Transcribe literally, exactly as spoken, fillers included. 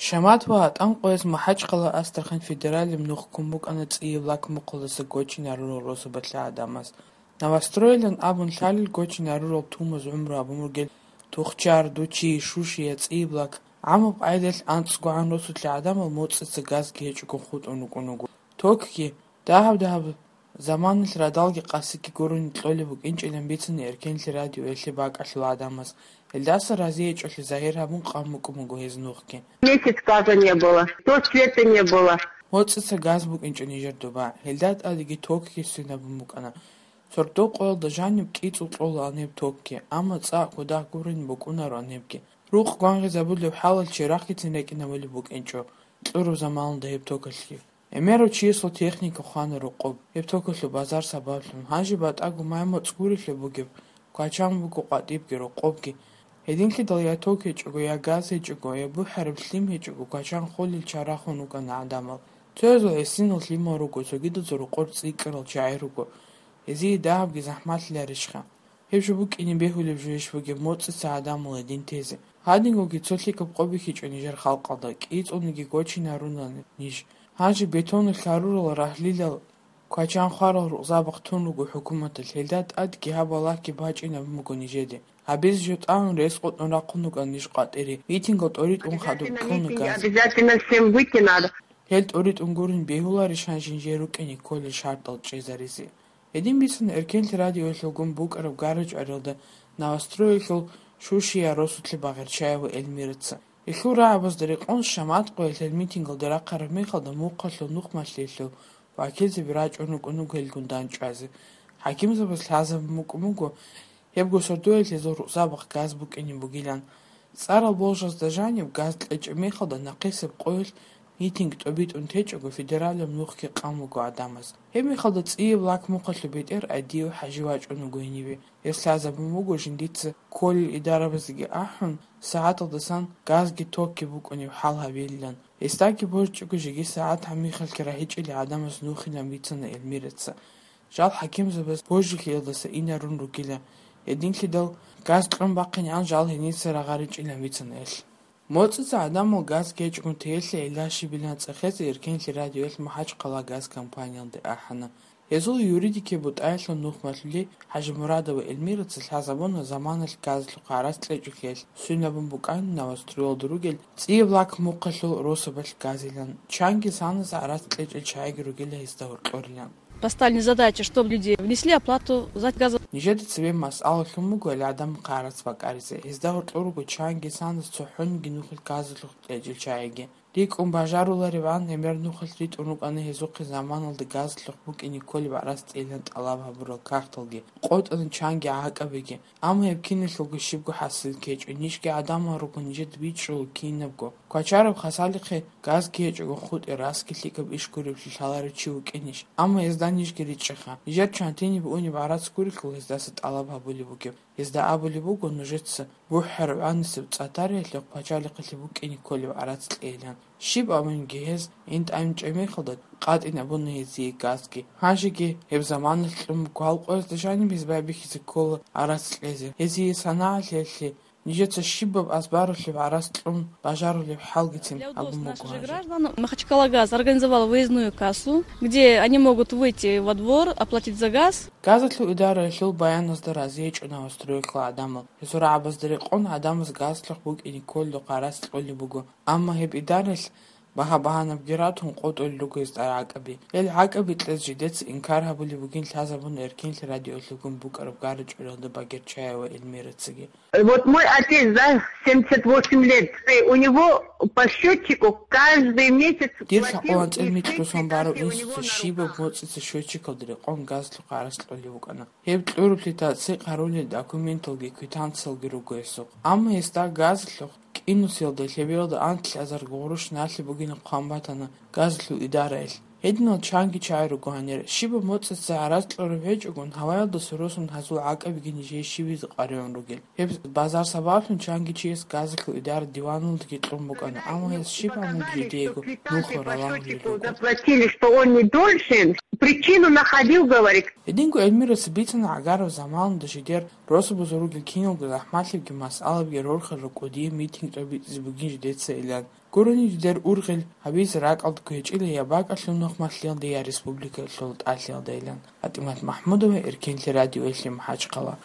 Шамат ва ГӀатӀан къояз МахӀачхъала, Астрахань федералияб нух ккун букӀана цӀияб лак мухъалдаса гочине арурал росабалъ гӀадамаз. Новостройлан абун лъалел гочине арурал тумаз гӀумру гьабун ругел Тухчар, Дучи, Шушия, цӀияб лак. ГӀамаб къайдалъ анцӀгогӀан росулъе гӀадамал моцӀица газги гьечӀого хутӀун рукӀун руго. Токги, дагьаб-дагьаб заманалъ радалги къасиги гурони кьолеб букӀинчӀилан бицана Эркенлъи радиоялъе бакӀалъул гӀадамаз. Гьелдаса разиячӀолъи загьир гьабун къан букӀун буго гьез нухги. Месяц газа не было, то света не было. МоцӀица газ букӀинчӀо нижер доба, гьелда тӀадеги токги свинабун букӀана. Сордо къоялда жаниб кӀицӀул кьола гьаниб токги, амма цӀакъ кодагь гурони букӀунаро гьанибги. Рукъ гвангъизабулеб хӀалалъ чи рахъицин рекӀинабулеб букӀинчӀо кьураб заманалда гьеб токалъги. ГӀемерав чиясул техника хвана рокъоб, гьеб токалъул базар сабаблъун. Гьанже батӀаго май-моцӀ гурелъул бугеб, квачан буго къватӀибги рокъобги. Гьединлъидал я ток гьечӀого, я газ гьечӀого, я бухӀараб лъим гьечӀого, квачан холел чарахун рукӀана гӀадамал. Цоязул гӀисинал лъимал руго, цогидазул рокъор цӀикӀкӀарал чагӀи руго. Гьезие дагьабги захӀмалъиларищха? Гьеб жо букӀине бегьулеб жойищ бугеб моцӀица гӀадамал гьедин тезе? Гьадингоги цо лъикӀаб къо бихьичӀо нижер халкъалда, кӀицӀулниги гочинарунани ниж. Гьанже бетонул хьарурал рагьлилал квачан хварал рукъзабахъ тун руго хӀукуматалъ, гьелда тӀадги гьаб балагьги бачӀинабун буго нижеде. Гьабизе жо тӀамун рес къотӀун рахъун рукӀана ниж къватӀире, митингал тӀоритӀун хадуб кьуна газ. Обязательно всем выйти надо. Гьел тӀоритӀун гурин бегьуларищ гьанже нижер рукӀине кколел шартӀал чӀезаризе? Гьедин бицана Эркенлъи радиоялъулгун букӀараб гара-чӀвариялда Новостроялъул Шушия росулъе Багъерчаева Эльмираца. Гьелъул рагӀабазда рекъон Шамат къоялъ гьел митингалде рахъараб мехалда мухъалъул нухмалъиялъул вакилзаби рачӀун рукӀун руго гьелгун дандчӀвазе. ХӀакимзабаз лъазабун букӀун буго, гьебго сордоялъ гьезул рукъзабахъ газ букӀине бугилан. ЦӀарал болжазда жаниб газ кьечӀеб мехалда нахъисеб къоялъ митинг тӀобитӀун течӀого федералияб нухги къан буго гӀадамаз. Гьеб мехалда цӀияб лак мухъалъул бетӀер Адиев ХӀажи вачӀун вуго гьениве. Гьес лъазабун буго жиндица кколел идарабазеги ахӀун, сагӀаталдасан газги токги букӀунеб хӀал гьабилилан. Гьесдаги божчӀого жеги сагӀат гьаб мехалъги рагьичӀилел гӀадамаз нухилан бицана Эльмираца. Жал хӀакимзабаз божилъиялдаса инарун ругила, гьединлъидал газ кьун бахъинегӀан жал гьениса рагъаричӀилан бицана гьелъ. МоцӀица гӀадамал газ гьечӀгун теялъе гӀилла щибилан цӀехезе Эркенлъи радиоялъ МахӀачхъала газ компаниялде ахӀана. Гьезул юридикияй бутӀаялъул нухмалъули ХӀажимурадова Эльмираца лъазабуна заманалъ газалъухъ гӀарац кьечӀолъиялъ, сунабун букӀана Новостроялда ругел цӀияб лак мухъалъул росабалъ газилан, чанги санас гӀарац кьечӀел чагӀиги ругила гьезда гьоркьорилан. Поставлена задача, чтобы люди внесли оплату за газо. Нижеда цебе масъала лъун буго гӀадамахъе гӀарац бакӀаризе. Гьезда гьоркьор руго чанги санас цохӀониги нухил газалъухъ кьечӀел чагӀиги. РикӀкӀун бажарулариван, гӀемер нухалъ ритӀун рукӀана гьезухъе заманалда газалъухъ букӀине кколеб гӀарац кьейилан тӀалаб гьабурал кагъталги, къотӀана чанги гӀакӀабиги. Амма гьеб киналъулго щибго хӀасил ккечӀо, нижги гӀадамал руго нижеда бичӀчӀулел кинабго. Квачараб Хасалихъе газги гьечӀого хутӀе, расги лъикӀаб иш гуревлъи лъаларев чи вукӀинищ? Амма гьезда нижги ричӀчӀаха. Нижер чантиниб унеб гӀарац гурелъул гьездаса тӀалаб гьабулеб бугеб. Гьезда абулеб буго нужеца бухӀараб гӀанасеб цӀатариялъухъ пачалихъалъе букӀине кколеб гӀарац кьейилан. Щиб абунги гьез, гӀин тӀамичӀеб мехалда къатӀинабуна гьезие газги. Гьанжеги гьеб заманалъ кьун буго, гьал къоязда жаниб гьез байбихьизе ккола гӀарац кьезе. Гьезие санагӀалъиялъе нижеца щибаб азбаралъуб гӀарац кьун бажарулеб хӀалгицин абун буго гьанже. Для удобства наших же граждан Махачкалагаз организовал выездную кассу, где они могут выйти во двор, оплатить за газ. Газалъул идараялъул баяназда разиячӀо Новостроялъул гӀадамал. Гьезул рагӀабазда рекъон гӀадамаз газалъухъ букӀине кколеб гӀарац кьолеб буго. Амма гьеб идараялъ багьа-багьанабги ратун къотӀулел руго гьезда гӀакӀаби. Гьел гӀакӀаби кьез жидеца инкар гьабулеб бугин лъазабуна Эркенлъи радиоялъулгун букӀараб гара-чӀвариялда Багерчаева Эльмирацаги. Вот мой отец, да, семьдесят восемь лет, у него по счётчику каждый месяц... Дир лъакъо анцӀил микьго сон барав инсуца щибаб моцӀица счётчикалда рекъон газалъухъ гӀарац кьолеб букӀана. Гьеб кьурулъи тасдикъ гьарулел документалги квитанциялги руго гьесухъ. Амма гьесда газалъухъ кӀинусиялда лъебиялда анлъ азарго гъурущ налъи бугин хъван батана газалъул идараялъ. Гьединал чанги чагӀи руго гьанир. Щибаб моцӀица гӀарац кьураб гьечӀогун, гьаваялдаса росун гьазул гӀакӀабиги нижее щибизе къваригӀун ругел. Гьеб базар сабаблъун чанги чияс газалъул идара диваналдаги кьун букӀана, амма гьес щиб гьабунги жидеего нухал ралан гьулел руго. Заплатили, что он не должен. Причину находил, говорит. Гьединго Эльмираца бицана гӀагарав заманалда жидер росабазул ругел киналго захӀмалъибги масъалабги рорхарал кӀудияб митинг тӀобитӀизе бугин жидеца илан. Гурони дидер ургъел гьабизе ракӀалда кквечӀила я бакӀалъул нухмалъиялда, я республикалъул тӀалъиялдайилан. ПатӀимат МахӀмудова, Эркенлъи радиоялъе МахӀачхъала.